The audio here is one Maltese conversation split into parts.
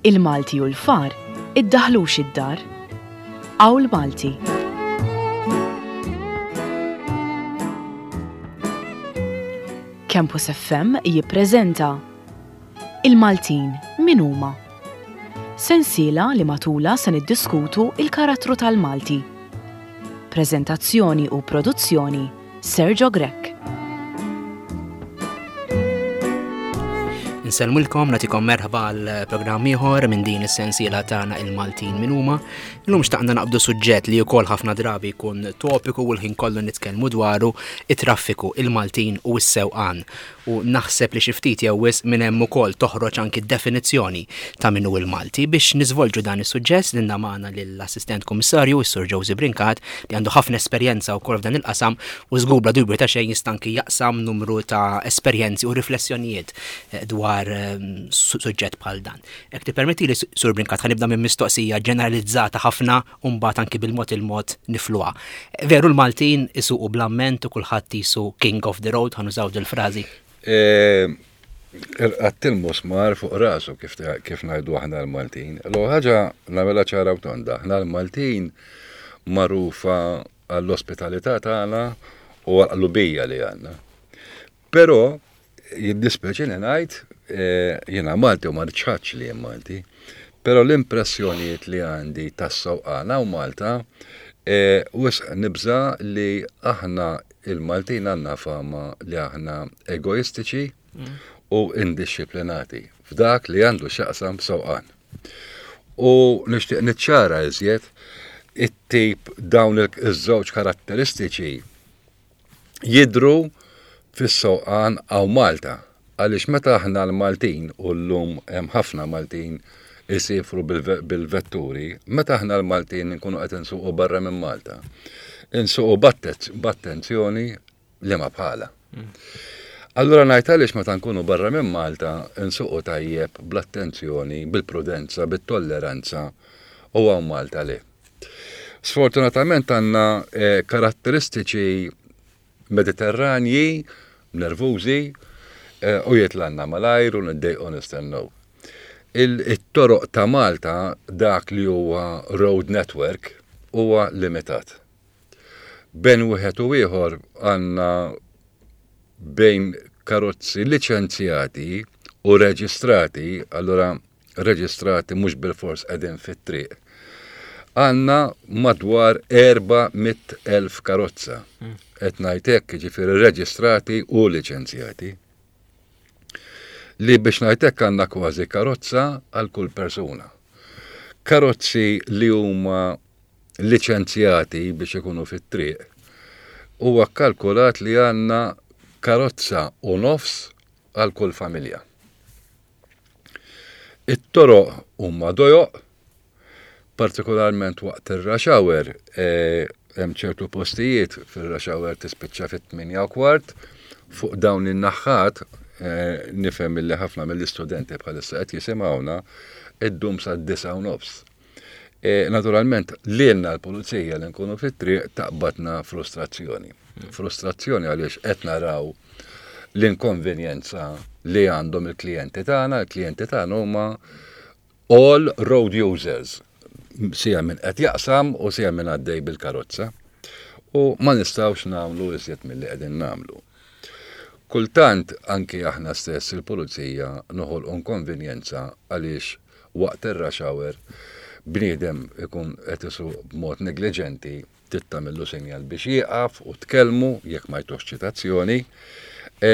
Il-Malti u l-far iddaħlux id-dar. Qawl Malti. Campus FM jippreżenta Il-Maltin min huma? Sensiela li matulha se niddiskutu il-karattru tal-Malti. Preżentazzjoni u produzzjoni Sergio Grech. Nsellmulkom, natikom merħba għal programm ieħor minn din is-sensiela tagħna il-Maltin min huma. Illum xtaqna naqbdu suġġett li wkoll ħafna drabi jkun topiku u l-ħin kollu nitkellmu dwaru it-traffiku, il-Maltin u s-sewqan. U naħseb li xi ftit jew wisq minn hemm ukoll toħroġ anki d-definizzjoni ta' min hu l-Malti. Biex niżvolġu dan is-suġġett lilna magħna lill-Assistent Kummissarju, is-Sur Josie Brincat, li għandu ħafna esperjenza wkoll f'dan il-qasam u żgur bla dubju ta' xejn jista' anki jaqsam numru ta' esperjenzi u riflessjonijiet eh, dwar eh, suġġett bħal dan. Jekk tippermettili, Sur Brincat, ħa nibda minn mistoqsija ġeneralizzata ħafna u mbagħad anki bil-mod il-mod nifluha. Veru l-Maltin isuqu bl-amment u kulħadd jisu king of the road, ħa nużaw dil-frażi. E, Irqatt il-musmar fuq rasu kif, kif ngħidu aħna l-Maltin. L ħaġa nagħmilha ċara u tonda. Aħna l-Maltin magħrufa għall-ospitalità tagħna u għall-qlubija li għandna. Però jiddispjaċini ngħid, eh, jiena Malti u ma nċħadx li jien Malti, però l-impressjonijiet li għandi tas-sewqan hawn Malta eh, wisq nibża' li aħna il-Maltin għandna fama li aħna egoistiċi mm. u indixxiplinati f'dak li għandu x'jaqsam sewqan. U nixtieq niċċara iżjed it-tip dawn iż-żewġ karatteristiċi jidhru fis-sewqan hawn Malta għaliex meta aħna l-Maltin u llum hemm ħafna Maltin isifru bil-vetturi, meta aħna l-Maltin nkunu qed insuqu barra minn Malta, insuqu b'attenzjoni li ma bħala. Allura ngħid għaliex meta nkunu barra minn Malta nsuqu tajjeb bl-attenzjoni, bil-prudenza, bit-tolleranza u hawn Malta le. Sfortunatament għandna eh, karatteristiċi mediterranji, nervużi, eh, u jitlanna malajr u niddejqu nistennew. Il-toroq ta' Malta dak li huwa road network huwa limitat. Bejn wieħed u ieħor għandna bejn karozzi liċenzjati u reġistrati, allura reġistrati mhux bilfors qegħdin fit-triq. Għandna madwar 400,000 karozza. Hmm. Qed ngħid hekk, jiġifieri reġistrati u liċenzjati. Li biex ngħid hekk għandna kważi karozza għal kull persuna. Karozzi li huma liċenzjati biex ikunu fit-triq huwa kkalkulat li għandna karozza u nofs għal kull familja. It-toroq huma dojoq, partikolarment waqt ir-rush hour, e, hemm ċertu postijiet fir-rush hour tispiċċa fit-8 u kwart, fuq dawn in-naħħat, e, nifhem illi ħafna mill-istudenti bħalissa qed jisimgħuna, iddum sa' 9 u nofs. E, naturalment, lilna l-pulizija li nkunu fit-triq taqbadna frustrazzjoni. Frustrazzjoni għaliex qed naraw l-inkonvenjenza li għandhom il-klijenti tagħna, il-klijenti tagħna huma all road users, sija minn qed jaqsam u sija minn għaddej bil-karozza. U ma nistgħux nagħmlu iżjed milli qegħdin nagħmlu. Kultant anki aħna stess il-pulizija noħolqu inkonvenjenza għaliex waqt ir-rush hour bniedem ikun qed isuq b'mod negliġenti trid tagħmillu sinjal biex jieqaf u tkellmu jekk ma jtuhx ċitazzjoni. E,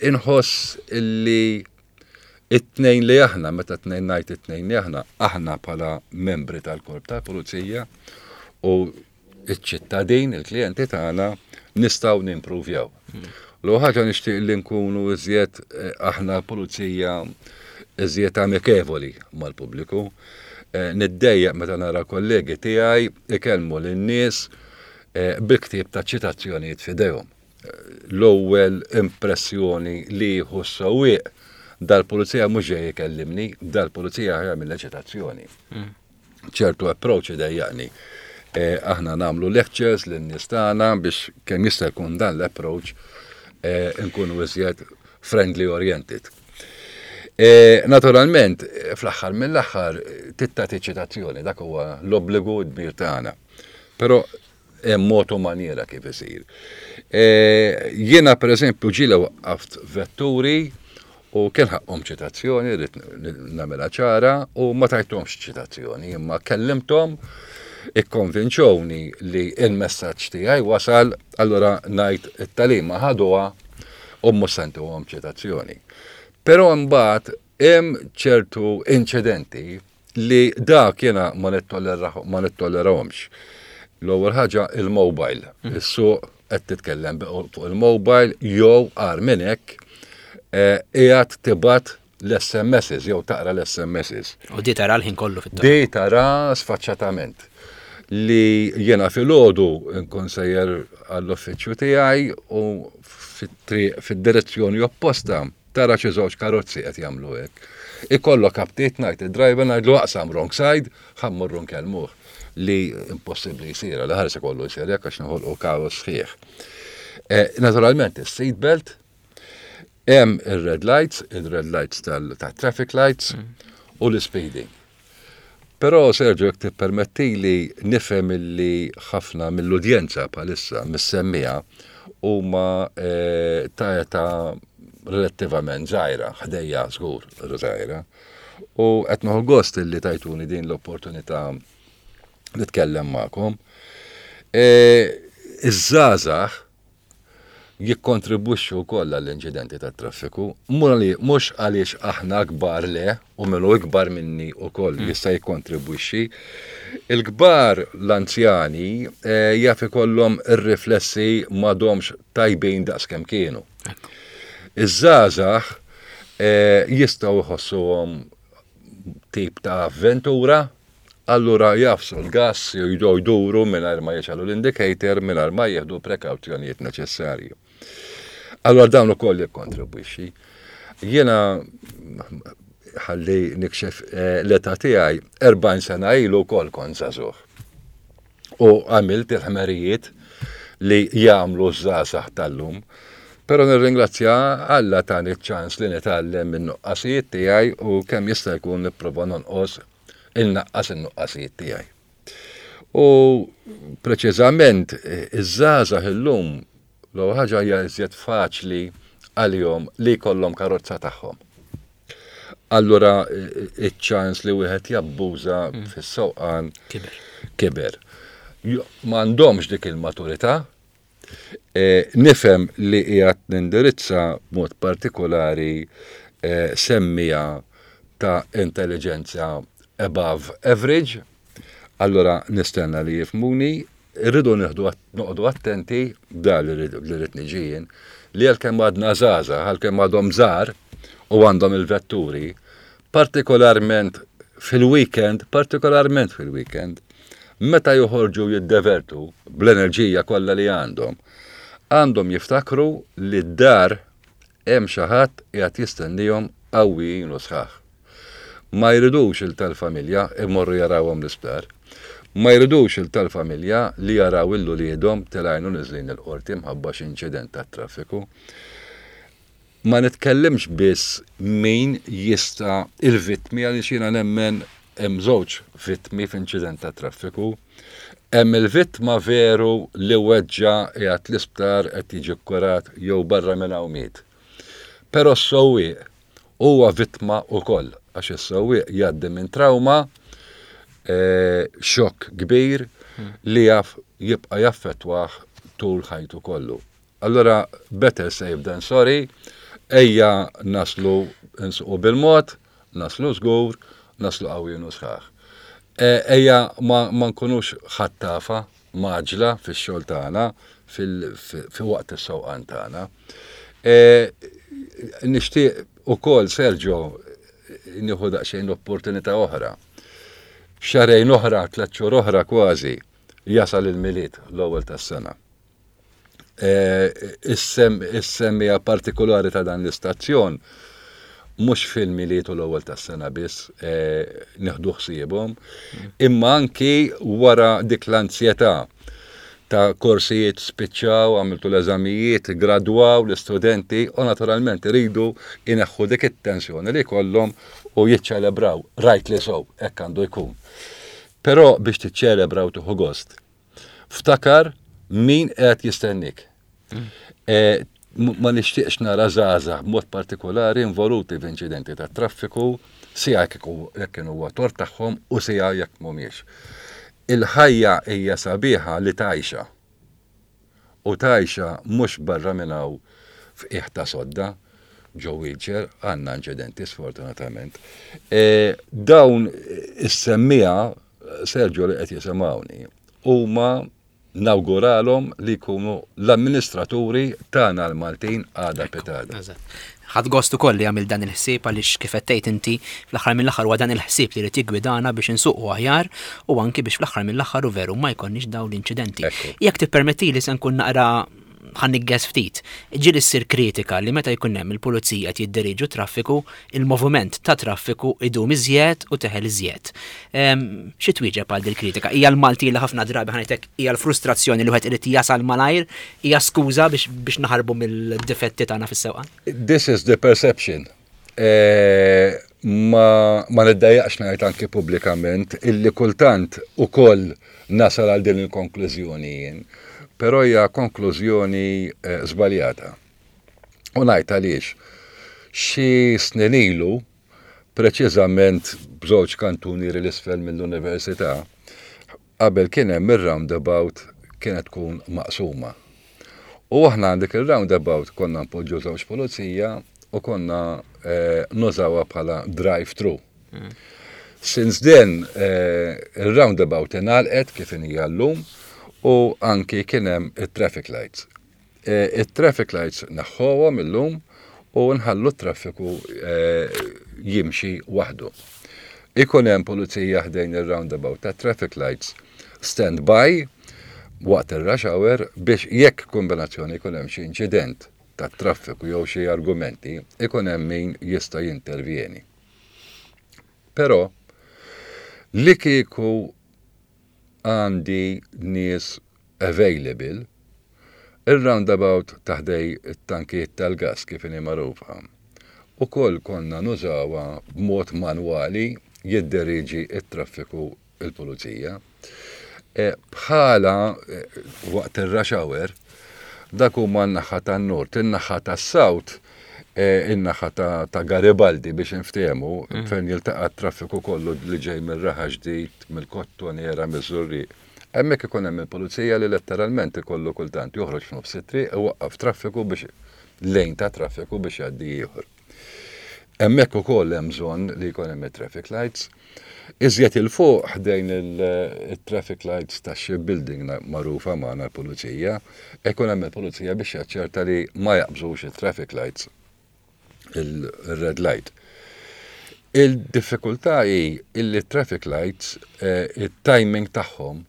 inħoss illi it-tnejn li aħna, meta tnejn ngħid it-tnejn li aħna, aħna bħala membri tal-korp tal-pulizija u iċ-ċittadin, il-klijenti tagħna nistgħu nimpruvjaw. L ħaġa nixtieq li nkunu iżjed eh, aħna pulizija iżjed amikevoli mal-pubbliku. Eh, niddejjaq meta nara kollegi tiegħi ikellmu lin-nies eh, bil-ktieb ta' ċitazzjonijiet f'idejhom. L-ewwel impressjoni li jieħu s-sewwieq dal-pulizija mhux ġej ikellimni, dal-pulizija jagħmel ċitazzjoni. Mm. ċertu approach idejjaqni. Eh, aħna nagħmlu lectures lin-nies tagħna biex kemm jista' jkun dan l-approach eh, nkunu iżjed friendly oriented. E, naturalment, fl-aħħar mill-aħħar trid tagħti ċitazzjoni, dak huwa l-obbligu d-dmir tagħna. Però hemm mod u maniera kif isir. E, jiena pereżempju ġieli waqqaft vetturi u kien ħaqqhom ċitazzjoni, rrid nagħmilha ċara, u ma tajthomx ċitazzjoni, imma kellimthom ikkonvinċewni li il-messaġġ tiegħi wasal, allura ngħid it-tagħlima ħaduha u mhux se ntuhom ċitazzjoni. Però mbagħad hemm ċertu inċidenti li dak jiena ma nittollerahomx. L-ewwel ħaġa il-mobile. Issuq qed titkellem fuq il-mobile jew agħar minn hekk qiegħed tibgħat l-SMSs jew taqra l-SMSs. U di tara l-ħin kollu fit Di tara sfaċċatament li jiena filgħodu nkun sejjer għall-uffiċċju tiegħi u fit-triq fid-direzzjoni opposta tara xi żewġ karozzi qed jagħmlu hekk. Ikollok aptit ngħid id-driver ngħidlu aqsam wrong side, ħa mmorru nkellmuh li impossibbli jsir, li ħares ikollu jsir hekk għax noħolqu kaos sħiħ. Naturalment is-seat belt, hemm ir-red lights, il-red lights tal-traffic lights u l-speeding. Però Sergio, jekk tippermettili nifhem illi ħafna mill-udjenza bħalissa mis-semmiegħa huma ta' età relattivament żgħira, ħdejja żgur żgħira. U qed nieħu gost illi tajtuni din l-opportunità nitkellem magħkom. Iż-żgħażagħ jikkontribwixxu wkoll għall-inċidenti tat-traffiku, mhux għaliex aħna kbar le, u min hu ikbar minni wkoll jista' jikkontribwixxi. Il-kbar l-anzjani jaf ikollhom ir-riflessi m'għadhomx tajbin daqskemm kienu. Iż-żgħażagħ jistgħu jħossuhom tip ta' avventura, allura jagħfsu l-gass jew jduru mingħajr ma jixgħelu l-indicator, mingħajr ma jieħdu prekawzjonijiet neċessarji. Allura dawn ukoll jikkontribwixxi. Jiena ħalli nikxef l-età tiegħi 40 sena ilu wkoll kont żagħżugħ. U għamilt il-ħmerijiet li jagħmlu ż-żgħażagħ tal-lum. Però nirringrazzja Alla tani ċ-ċans li nitgħallem min-nuqqasijiet tiegħi u kemm jista' jkun nipprova nonqos innaqqas in-nuqqasijiet tiegħi. U preċiżament iż-żgħażagħ illum l-ewwel ħaġa hija iżjed faċli għalihom li jkollhom karozza tagħhom. Allura iċ-ċans li wieħed jabbuża fis-sewqan Kiber. Kiber. M'għandhomx dik il-maturità. Nifhem li qiegħed nindirizza b'mod partikolari semmiegħa ta' intelligenza above average, allura nistenna li jifhmuni, irridu nieħdu noqogħdu attenti, da li rrid niġi jien, li għalkemm għadna żgħażagħ, għalkemm għadhom żgħar u għandhom il-vetturi, partikolarment fil-weekend, partikolarment fil-weekend, meta joħorġu jiddevertu bl-enerġija kollha li għandhom, għandhom jiftakru li d-dar hemm xi ħadd qiegħed jistennihom qawwijin u sħaħ. Ma jridux il tal-familja imorru jarawhom l-isptar. Ma jridux il tal-familja li jaraw 'il uliedhom telgħin u niżlin il-qorti mħabba xi inċident tat-traffiku. Ma nitkellimx biss min jista' il-vittmi għaliex jiena nemmen hemm żewġ vittmi f'inċident tat-traffiku. Hemm il-vittma veru li weġġa' qiegħed l-isptar qed jiġi kkurat jew barra minn hawn miet. Però s-sewwieq huwa vittma wkoll għax is-sewwieq jgħaddi minn trauma, xokk kbir li jaf jibqa' jaffettwah tul ħajtu kollu. Allura better safe than sorry, ejja naslu nsuqu bil-mod, naslu żgur, naslu qawwijin u sħaħ. Ejja ma nkunux ħattafa mgħaġġla fix-xogħol tagħna, fi waqt is-sewqan tagħna. Nixtieq ukoll, Sergio, nieħu daqsxejn l-opportunità oħra. Xahrejn oħra, tlett xhur oħra kważi, jasal il-Milied, l-ewwel tas-sena. Is-semmiegħa partikolari ta' dan l-istazzjon mhux fil-Milied u l-ewwel tas-sena biss nieħdu ħsiebhom, imma anki wara dik l-anzjetà ta' korsijiet spiċċaw, għamiltu l-eżamijiet, gradwaw l-istudenti u naturalment iridu jneħħu dik it-tensjoni li jkollhom u jiċċelebraw. Rightly so, hekk għandu jkun. Però biex tiċċelebra u tieħu gost, ftakar min qed jistennik. E, ma nixtieqx nara żgħażagħ b'mod partikolari involuti f'inċidenti tat-traffiku, sija jekk kienu huwa tort tagħhom u sija jekk mhumiex. Il-ħajja hija sabiħa li tgħixha. U tgħixha mhux barra minn hawn f'qiegħ ta' sodda, ġo wheelchair, għandna inċidenti sfortunatament. E, dawn is-semmiegħa, Sergio li qed jisimgħuni, huma nawguralhom li jkunu l-amministraturi tagħna l-Maltin għada pitgħada. Ħadt gost ukoll li għamilt dan il-ħsieb għaliex kif qed tgħid inti fl-aħħar mill-aħħar huwa dan il-ħsieb li jrid jiggwidana biex insuqu aħjar u anki biex fl-aħħar mill-aħħar u veru ma jkollniex dawn l-inċidenti. Jekk tippermettili se nkun naqra ħa niggeż ftit. Ġieli ssir kritika li meta jkun hemm il-pulizija qed jidderiġu traffiku, il-moviment ta' traffiku idum iżjed u teħel iżjed. Xi twieġeb għal dil-kritika? Hija l-Malti li ħafna drabi ħa ngħidlek hija l-frustrazzjoni li wieħed irid jasal malajr, hija skuża biex naħarbu mill-difetti tagħna fis-sewqan? This is the perception. E, ma, ma niddejjaqx ngħid anki pubblikament illi kultant ukoll nasal għal din il-konklużjoni jien, però hija konklużjoni eh, żbaljata. U ngħid għaliex. Xi snin ilu, preċiżament b'żewġ kantunieri l-isfel mill-università, qabel kien hemm ir-roundabout kienet tkun maqsuma. U aħna dik ir-roundabout konna npoġġu żewġ pulizija u konna eh, nużawha bħala drive-thru. Since then, eh, il-roundabout ingħalqet kif inhija llum u anki kien hemm it-traffic lights. Eh, it-traffic lights neħħuhom illum u nħallu t-traffiku eh, jimxi waħdu. Ikun hemm pulizija ħdejn ir-roundabout ta' traffic lights stand by waqt ir-rush hour biex jekk kombinazzjoni jkun hemm xi inċident tat-traffiku jew xi argumenti, ikun hemm min jista' jintervjeni. Però li kieku għandi nies available, ir-roundabout ta' ħdej it-tankijiet tal-gass kif inhi magħrufa, ukoll konna nużawha b'mod manwali jidderieġi t-traffiku il-pulizija. E, bħala e, waqt ir-rush hour, dak huma n-naħa tan-nord, in-naħa tas-south, e, in-naħa ta' Garibaldi biex inftehmu, mm. fejn jiltaqa' t-traffiku kollu li ġej mir-Raħa Ġdid, mill-Kottonera, miż-Żurrieq. Hemmhekk ikun hemm il-pulizija li letteralment ikollu kultant joħroġ f'nofs it-triq iwaqqaf traffiku biex lejn ta' traffiku biex jgħaddi ieħor. Hemmhekk ukoll hemm bżonn li jkun hemm it-traffic lights. Iżjed 'il fuq ħdejn il-traffic lights ta' shipbuilding magħrufa magħna l-pulizija, ikun hemm il-pulizija biex jaċċerta li ma jaqbżux it-traffic lights il-red light. Il-diffikultà hi illi traffic lights eh, it-timing tagħhom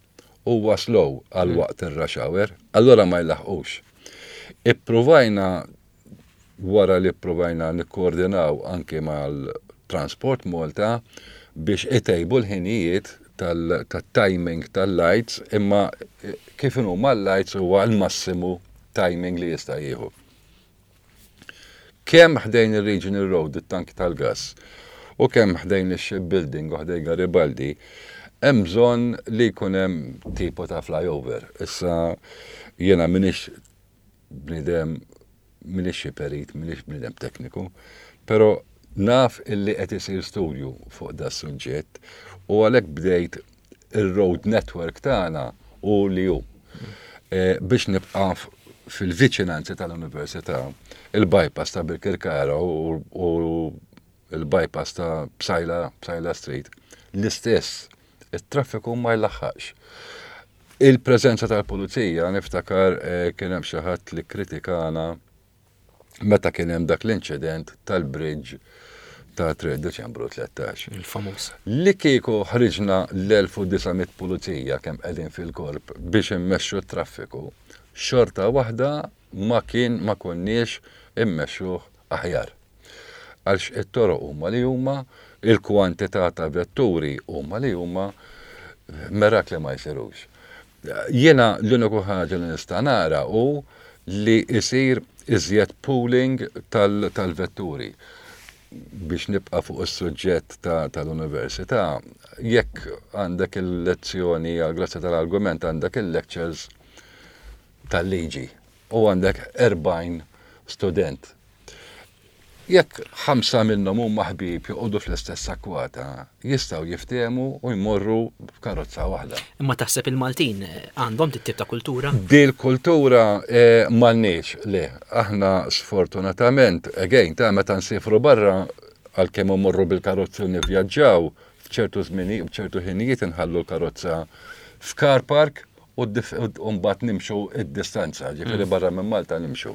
huwa slow għal mm. waqt ir-rush hour, allura ma jlaħqux. Ippruvajna wara li ppruvajna nikkoordinaw anki mal-Transport Malta biex itejbu l-ħinijiet tat-timing tal-lights imma kif inhuma l-lights huwa l-massimu timing li jista' jieħu. Kemm ħdejn ir-Regional Road, it-tanki tal-gass, u kemm ħdejn ix-shipbuilding u ħdejn Garibaldi, hemm bżonn li jkun hemm tipo ta' flyover. Issa jiena m'iniex bniedem m'iniex xi perit, m'iniex bniedem tekniku, però naf illi qed isir studju fuq da suġġett u għalhekk bdejt ir-road network tagħna u li hu. E, biex nibqa' fil-viċinanzi tal-Università, il-bypass ta' Birkirkara u il-bypass ta' Psaila, Psaila Street, l-istess, it-traffiku ma jlaħħaqx. Il-preżenza tal-pulizija niftakar eh, kien hemm xi ħadd li kritikana meta kien hemm dak l-inċident tal-bridge ta' 3 Deċembru 13. Il-famuż. Li kieku ħriġna l-1900 pulizija kemm qegħdin fil-korp biex immexxu t-traffiku, xorta waħda ma kien ma konniex immexxuh aħjar. Għalx it-toroq huma li huma, il-kwantità ta' vetturi huma li huma, mirakli ma jsirux. Jiena l-uniku ħaġa li nista' nara hu li jsir iżjed pooling tal-vetturi. Biex nibqa' fuq is-suġġett tal-università, jekk għandek il-lezzjoni, għall-grazzja tal-argument għandek il-lectures tal-liġi u għandek 40 student. Jekk ħamsa minnhom huma ħbieb joqogħdu fl-istess akkwata, jistgħu jiftehmu u jmorru b'karozza waħda. Imma taħseb il-Maltin għandhom dit-tip ta' kultura? Dil-kultura m'għandniex, le. Aħna sfortunatament, again, ta' meta nsifru barra, għalkemm immorru bil-karozzi u nivvjaġġaw, f'ċertu żmini, f'ċertu ħinijiet inħallu l-karozza f'car park u mbagħad nimxu id-distanza, ġifieri mm. barra minn Malta nimxu.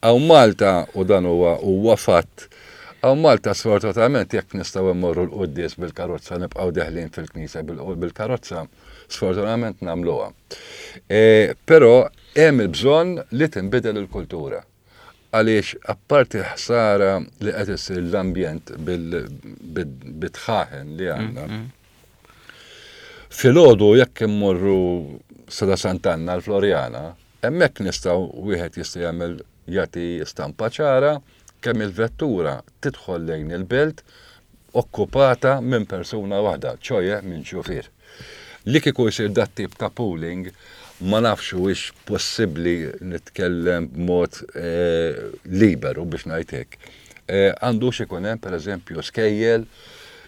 Hawn Malta u dan huwa huwa fatt. Hawn Malta sfortunatament jekk nistgħu mmorru l-quddies bil-karozza nibqgħu deħlin fil-knisja bil-karozza, sfortunatament nagħmluha. E, però hemm il-bżonn li tinbidel il-kultura. Għaliex apparti ħsara li qed issir l-ambjent bil-tħaħen li għandna, mm, mm. Filgħodu jekk immorru Sada Sant'Anna l-Floriana, hemmhekk nistgħu wieħed jista' jagħmel jagħti stampa ċara kemm il-vettura tidħol lejn il-belt okkupata minn persuna waħda, ċoje minn xufier. Li kieku jsir dat tip ta' pooling, ma nafx huwiex possibbli nitkellem b'mod eh, liberu biex ngħid hekk. Eh, għandux ikun hemm pereżempju skejjel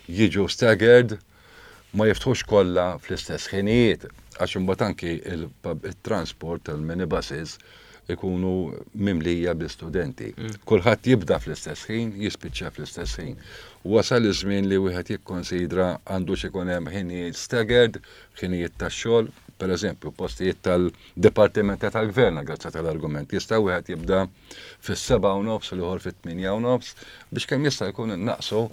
jiġu staggered, ma jiftħux kollha fl-istess ħinijiet, għax imbagħad anki il-transport tal-minibuses ikunu mimlija bi studenti. Kulħadd jibda fl-istess ħin, jispiċċa fl-istess ħin. Wasal iż-żmien li wieħed jikkonsidra għandux ikun hemm ħinijiet staggered, ħinijiet tax-xogħol, pereżempju, postijiet tal-dipartimenti tal-gvern, grazzi tal-argument, jista' wieħed jibda fis-7:30 u l-ieħor fit-8:30 biex kemm jista' jkun innaqsu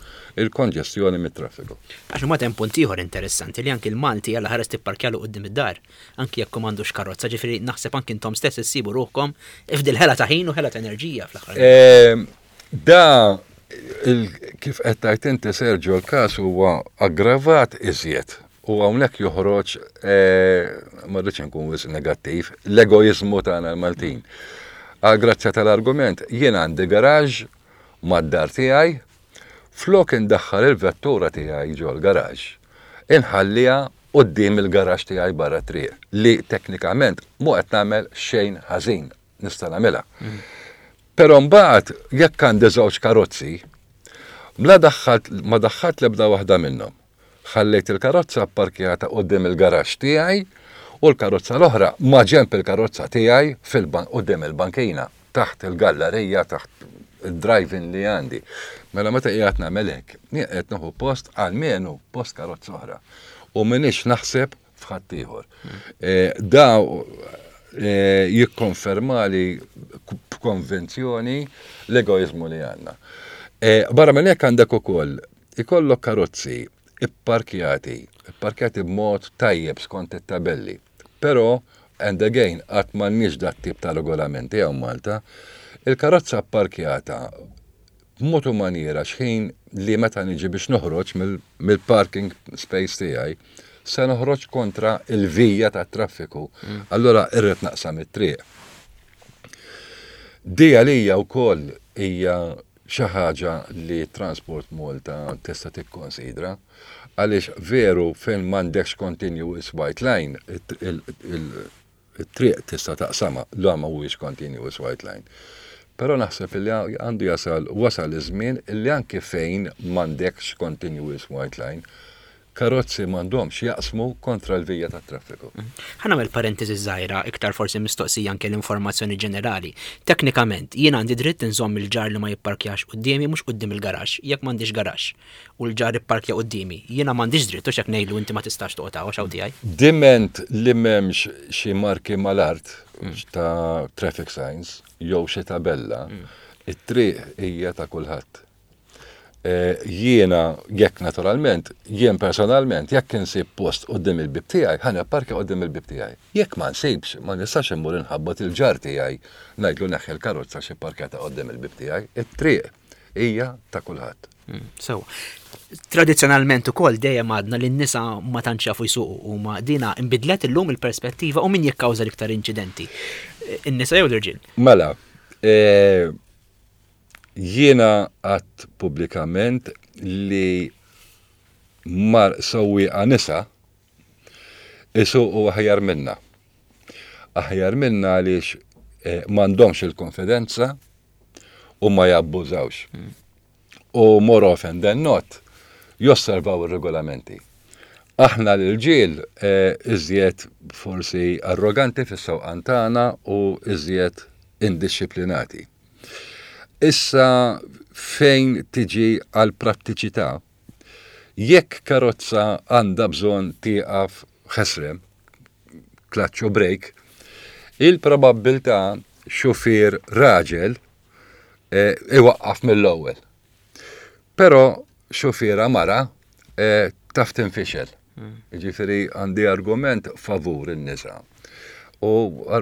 il-konġestjoni mit-traffiku. Għax imbagħad hemm punt ieħor interessanti li anki l-Malti alla ħares tipparkjalu quddiem id-dar, anki jekk hu m'għandux karozza, ġifieri naħseb anki intom stess issibu ruħkom f'dil ħela ta' ħin u ħela ta' enerġija fl-aħħar. Ehm, da kif qed tgħid inti Sergio l-każ huwa aggravat iżjed U hawnhekk joħroġ, eh, ma rridx inkun wisq negattiv, l-egoiżmu tagħna l-Maltin. Għal grazzja tal-argument, jien għandi garaġ mad-dar tiegħi, flok indaħħal il-vettura tiegħi ġol garaġ, inħalliha quddiem il-garaġ tiegħi barra triq li teknikament mhu qed nagħmel xejn ħażin, nista' nagħmilha. Però mbagħad jekk għandi żewġ karozzi, mla daħħalt ma daħħalt l-ebda waħda minnhom. Ħallejt il-karozza pparkjata quddiem il-garaxx tiegħi u l-karozza l-oħra maġenb il-karozza tiegħi quddiem il-bankina, taħt il-gallarija, taħt id-drive-in li għandi. Mela meta qiegħed nagħmel hekk, jien qed nieħu post almenu post karozza oħra. U m'iniex naħseb f'ħaddieħor. Eh, da eh, jikkonfermali b'konvenzjoni l-egoizmu li għandna. Eh, barra minn hekk għandek ukoll ikollok karozzi ipparkjati, ipparkjati b'mod tajjeb skont it-tabelli. Però, and again, qatt m'għandniex dat tip ta' regolamenti hawn Malta, il-karozza pparkjata b'mod u maniera xħin li meta niġi biex noħroġ mill-parking space tiegħi, se noħroġ kontra il-vija tat-traffiku. Mm. Allora irrid naqsam it-triq. Di għalija wkoll hija xi ħaġa li Transport Malta tista' tikkonsidra għaliex veru fejn m'għandekx continuous white line it-triq tista' taqsamha la ma huwiex continuous white line. Però naħseb li għandu jasal wasal iż-żmien li anke fejn m'għandekx continuous white line karozzi m'għandhomx jaqsmu kontra l-vija tat-traffiku. Ħa nagħmel parentesi żgħira, iktar forsi mistoqsija anke l-informazzjoni ġenerali. Teknikament, jien għandi dritt inżomm il-ġar li ma jipparkjax quddiemi mhux quddiem il-garaxx, jekk m'għandix garaxx u l-ġar ipparkja quddiemi, jiena m'għandix dritt hux hekk ngħidlu inti ma tistax toqgħod hawn għax hawn tiegħi. Diment li m'hemmx xi marki mal-art ta' traffic signs jew xi tabella, it-triq hija ta' kulħadd. Eh, jiena, jekk naturalment, jien personalment, jekk insib post quddiem il-bib tiegħi, ħa nipparkja quddiem il-bib tiegħi. Jekk ma nsibx, ma nistax immur inħabbat il-ġar tiegħi ngħidlu neħħi l-karozza xi parkjata quddiem il-bib tiegħi. It-triq hija ta' kulħadd. Hmm, sewa. Tradizzjonalment ukoll dejjem għadna li n-nisa ma tantx jafu jsuqu huma dina inbidlet illum il-perspettiva u min jikkawża l-iktar inċidenti. In-nisa jew l-irġiel? Mela, e, jiena għadt pubblikament li mar sewwieqa nisa isuqu aħjar minna. Aħjar minna għaliex e, m'għandhomx il-konfidenza u ma jabbużawx. Mm. U more often than not, josservaw ir-regolamenti. Aħna l-irġiel eh, iżjed forsi arroganti fis-sewqan tagħna u iżjed indixxiplinati. Issa fejn tiġi għal prattiċità, jekk karozza għandha bżonn tieqaf ħesrem, clutch u brake, il-probabbiltà xufier raġel eh, iwaqqaf mill-ewwel. Però xufiera mara eh, taf tinfixel. Hmm. Ġifieri għandi argument favur in-nisa u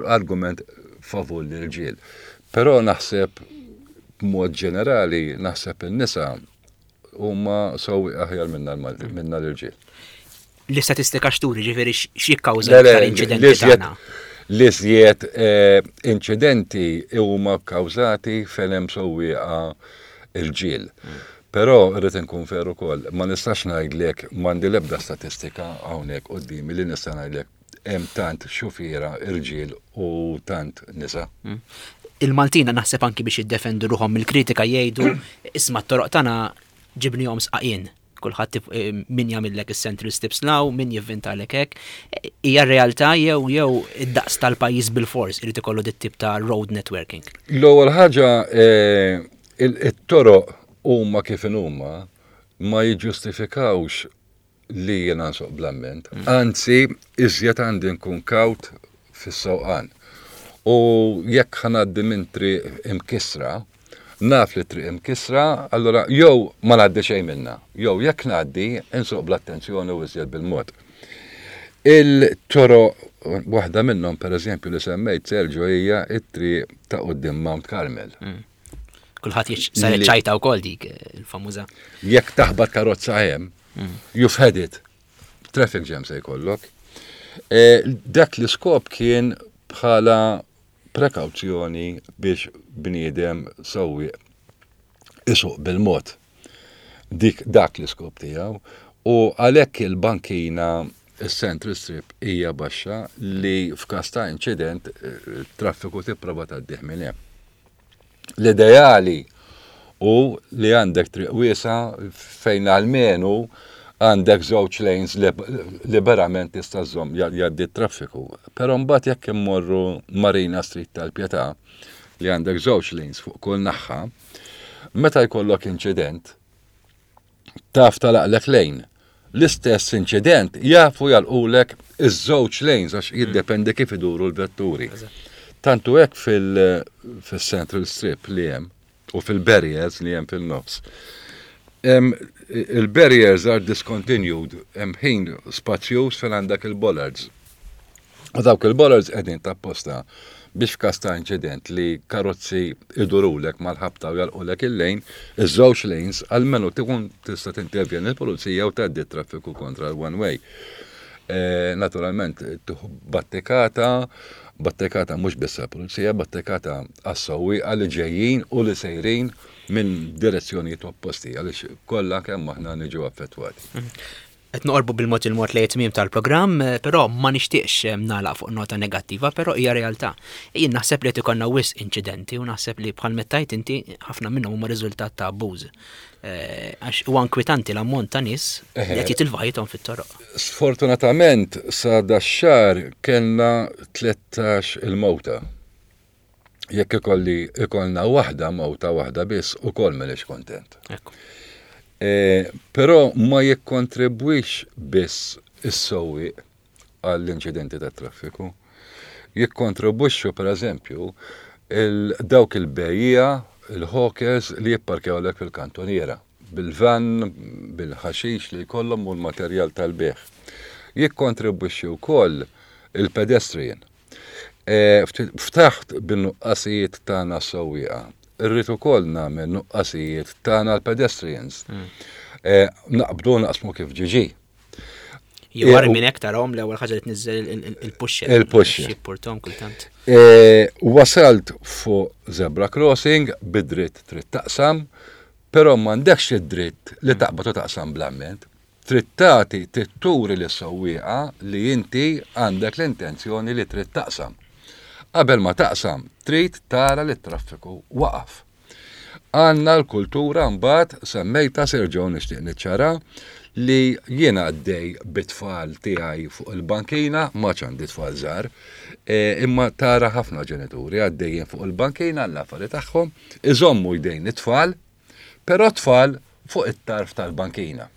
argument favur l-irġiel. Però naħseb b'mod ġenerali naħseb in-nisa huma sewwieq aħjar minna l-Malti, minna l-irġiel. L-istatistika x'turi, ġifieri x'jikkawża l-iktar inċidenti tagħna? L-iżjed eh, inċidenti huma kkawżati fejn hemm sewwieqa irġiel. Hmm. Però rrid inkun fer ukoll, ma nistax ngħidlek m'għandi l-ebda statistika hawnhekk quddiemi li nista' ngħidlek hemm tant xufiera irġiel u tant nisa. Hmm. Il-Maltina naħseb anki biex jiddefendu ruħhom mill-kritika jgħidu isma' t-toroq tagħna ġibnihom sqaqien. Kulħadd eh, min jagħmillek is-central steps law, min jivvintalek hekk. Hija realtà jew jew id-daqs tal-pajjiż bil-fors irid ikollu dit tip ta' road networking. L-ewwel ħaġa eh, it-toroq huma kif huma ma jiġġustifikawx li jiena nsuq bl-amment. Mm. Anzi, iżjed għandi nkun kawt fis-sewqan. U jekk ħanaddi minn triq imkisra, naf li triq imkisra, allura jew ma ngħaddi xejn minna, jew jekk ngħaddi insuq bl-attenzjoni u iżjed bil-mod. Il-toro waħda minnhom pereżempju li semmejt Sergio hija it-triq ta' quddiem Mount Carmel. Mm. Kulħadd saret ċajta wkoll dik eh, il-famuża. Jekk taħbat karozza hemm, mm. you've had it. Traffic jam se jkollok. E, dak l-iskop kien bħala prekawzjoni biex bniedem sewwieq isuq bil-mod. Dik dak l-iskop tiegħu u għalhekk il-bankina is-central strip hija baxxa li f'każ ta' inċident eh, traffiku tipprova tgħaddih minn hemm. L-ideali hu li għandek triq wiesgħa fejn almenu għandek żewġ lanes liberament tista' żżomm jgħaddi t-traffiku. Però mbagħad jekk immorru Marina Street tal-Pietà li għandek żewġ lanes fuq kull naħa, meta jkollok inċident, taf tagħlaqlek lane. L-istess inċident jafu jagħlqulek iż-żewġ lanes għax jiddependi kif iduru l-vetturi. Tantu hekk fil-Central Strip li hemm u fil-barriers li hemm fil-nofs. Il-barriers are discontinued, hemm ħin spazjuż fejn għandek il-bollards. U dawk il-bollards qegħdin t'apposta biex f'każ ta' inċident li karozzi idurulek mal-ħabta u jagħlqulek il-lane, iż-żewġ lanes, almenu tkun tista' tintervjeni l-pulizija u tgħaddi t-traffiku kontra l-one way. E, naturalment, tieħu battikata, battikata mhux biss għall-pulizija, battikata għas-sewwieqa li ġejjin u li sejrin minn direzzjonijiet opposti għaliex kollha kemm aħna niġu affettwati. Mhm. Qed noqorbu bil-mod il-mod lejn it-tmiem tal-programm, eh, però ma nixtieqx eh, nagħlaq fuq nota negattiva, però hija realtà. Jien naħseb li qed ikollna wisq inċidenti u naħseb li bħal mettajt inti ħafna minnhom huma riżultat ta' abbuż. Eh, għax huwa inkwitanti l-ammont ta' nies li qed jitilfu ħajjithom fit-toroq. Sfortunatament sa dax-xahar kellna 13 il-mowta. Jekk ikolli ikollna waħda mowta waħda biss ukoll m'iniex kontent. E, però ma jikkontribwix biss is-sewwieq għall-inċidenti tat-traffiku. Jikkontribwixxu pereżempju il dawk il-bejjiegħa, il-hawkers li jipparkjawlek fil-kantuniera bil-van, bil-ħaxix li jkollhom u l-materjal tal-bejgħ. Jikkontribwixxi wkoll il-pedestrian. Ftaħt bin-nuqqasijiet tagħna s-sewwieqa. Irrid ukoll nagħmel nuqqasijiet tagħna l-pedestrians. Eh, naqbdu naqsmu kif ġiġi. Jew għar minn hekk tarahom l-ewwel ħaġa li tniżżel il-pusher. Il-pusher. Jippurtom kultant. Eh, wasalt fuq zebra crossing bid-dritt trid taqsam, però m'għandekx id-dritt li taqbad u taqsam bl-amment. Trid tagħti, trid turi lis-sewwieqa li inti għandek l-intenzjoni li trid taqsam. Qabel ma taqsam, trid tara li t-traffiku waqaf. Għandna l-kultura mbagħad semmejtha Sergio nixtieq niċċara li jiena għaddej bit-tfal tiegħi fuq il-bankina, m'għadx għandi tfal żgħar, eh, imma tara ħafna ġenituri għaddejjin fuq il-bankina l-affari tagħhom, iżommu jdejn it-tfal, però t-tfal fuq it-tarf tal-bankina.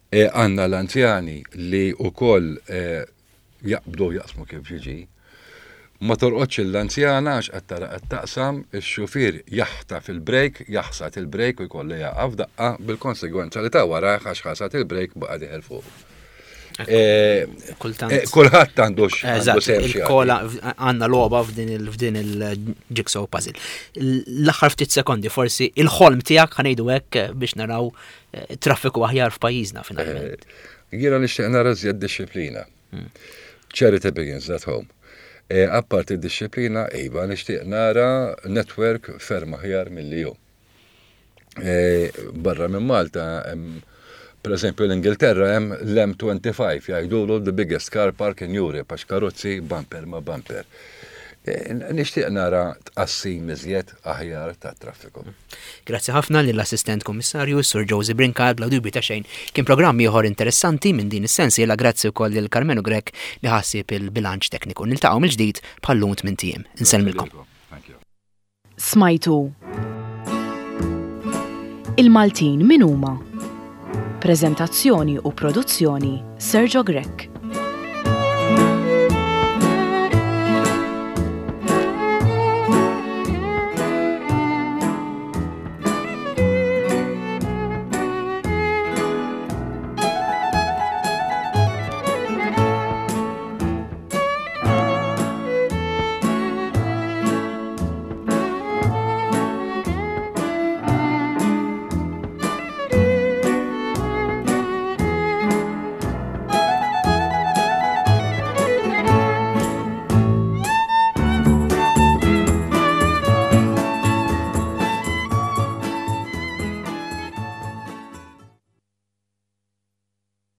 Eh, għandna l-anzjani li wkoll eh, jaqbdu jaqsmu kif ġiġi. Ma torqodx l-anzjana għax qed tara qed taqsam, ix-xufier jaħtaf il-brejk, jaħsad il-brejk u jkollu jaqaf daqqa bil-konsegwenza li ta' warajh għax ħasad il-brejk baqa' dieħel fuq. Eh, Kultant. Eh, kulħadd għandu Il-kola għandna logħba f'din il-jigsaw puzzle. L-aħħar ftit sekondi forsi il-ħolm tiegħek ħanejdu hekk biex naraw eh, traffiku aħjar f'pajjiżna finalment. Jiena nixtieq nara żjed dixxiplina. Hmm. Charity begins at home. Apparti d-dixxiplina, iva nixtieq nara network ferm aħjar milli hu. E, barra minn Malta, per eżempju l-Ingilterra hemm l-M25 jgħidulu the biggest car park in Europe għax karozzi bumper ma bumper. E, nixtieq nara tqassim iżjed aħjar tat-traffiku. Grazzi ħafna lill-Assistent Kummissarju Sur Josie Brincat bla dubju ta' xejn kien programm ieħor interessanti minn din is-sensiela grazzi wkoll lil Karmenu Grech li ħassib il-bilanċ tekniku. Niltaqgħu mill-ġdid bħal-lum tmint ijiem. Insellmilkom. Thank you. Smajtu Il-Maltin min huma? Preżentazzjoni u produzzjoni Sergio Grech.